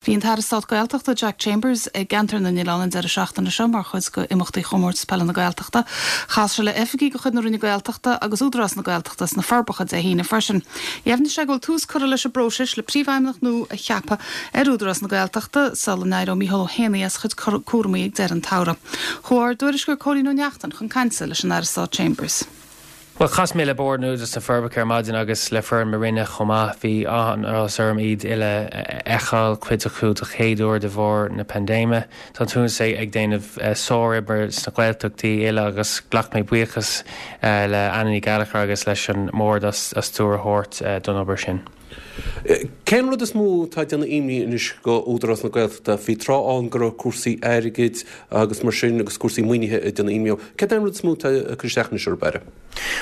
Bhí an tAire Stáit Gaeltachta Jack Chambers i gCeantar na nOileán an deireadh seachtaine seo mar chuid de imeachtaí Chomórtas Peile na Gaeltachta. Chas sé le oifigigh de chuid na Roinne Gaeltachta agus Údarás na Gaeltachta sna Forbacha Dé hAoine freisin. Dheimhnigh sé go bhfuil tús curtha leis an bpróiseas le príomhfheidhmeannach nua a cheapadh ar Údarás na Gaeltachta sula n-éireoidh Micheál Ó hÉanaí as a chuid cúramaí ag deireadh an tsamhraidh. Chuaigh ár dtuairisceoir Cóilín Ó Neachtain chun cainte leis an Aire Stáit Chambers. Bhuel, chas mé le Bord an Údarás sna Forbacha ar maidin agus le foireann mo Roinne chomh maith. Bhí an-áthas orm iad uile a fheiceáil, cuid acu do chéad uair de bharr na paindéime. Tá an tÚdarás ag déanamh sároibre sna Gaeltachtaí uile agus ghlac mé buíochas le Anna Ní Ghallchóir agus leis an mBord as stiúir a thabhairt don obair sin. Cén rud is mó atá ag déanamh imní anois go Údarás na Gaeltachta? Bhí tráth ann go raibh cúrsaí airgid agus mar sin agus cúrsaí maoinithe ag déanamh imní. Céard é an rud is mó atá ag cur isteach anois orthu, a Aire?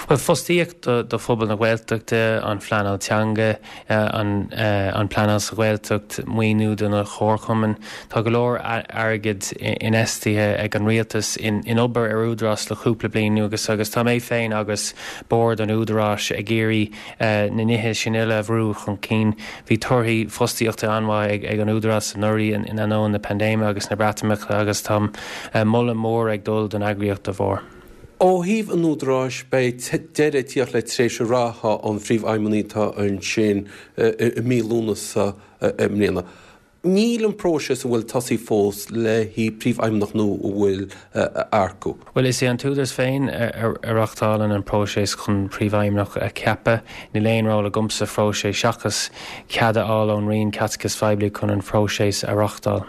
Bhuel, fostaíocht do phobal na Gaeltachta, an phleanáil teanga, an pleanáil sa Ghaeltacht, maoiniú do na comharchumainn. Tá go leor airgid infheistithe ag an rialtas in obair ar Údarás le cúpla bliain anuas agus tá mé féin agus Bord an Údaráis ag iarraidh na nithe sin uile a bhrú chun cinn. Bhí torthaí fostaíochta an-mhaith ag an Údarás anuraidh in ainneoin na paindéime agus na Breatimeachta agus tá moladh mór ag dul don eagraíocht dá bharr. Ó thaobh an Údaráis, beidh deireadh ag tíocht le tréimhse reatha an phríomhfheidhmeannaigh atá ansin i mí Lúnasa i mbliana. Níl an próiseas an bhfuil tosaithe fós le haghaidh príomhfheidhmeannach nua a bhfuil a earcú. Bhuel, is é an tÚdarás féin a reáchtálann an próiseas chun príomhfheidhmeannach a cheapadh. Níl aon ról agamsa sa phróiseas seachas cead a fháil ón Roinn Caiteachais Phoiblí chun an phróiseas a reáchtáil.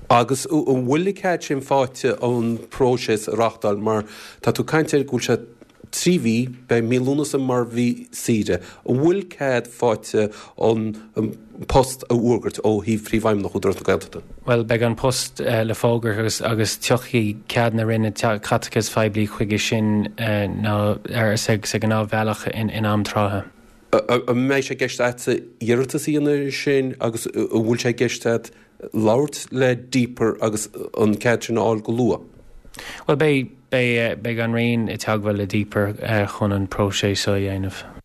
Agus an bhfuil an cead sin faighte an próiseas a reáchtáil mar tá tú ag caint air go bhfuil sé 3 mhí, beidh mí Lúnasa mar mhí saoire. An bhfuil cead faighte an post a fhógairt ó thaobh Phríomhfheidhmeannach Údarás na Gaeltachta? Bhuel, beidh an post le fógairt agus agus tiocfaidh cead na Roinne Caiteachais Phoiblí chuige sin nó ar sa ghnáthbhealach in am trátha. An mbeidh sé i gceist agatsa iarratas a dhéanamh air sin agus an bhfuil sé i gceist agat labhairt le Deeper agus an cead sin a fháil go luath? Bhuel, beidh, beidh, beidh an Roinn i dteagmháil le Deeper chun an próiseas seo a dhéanamh.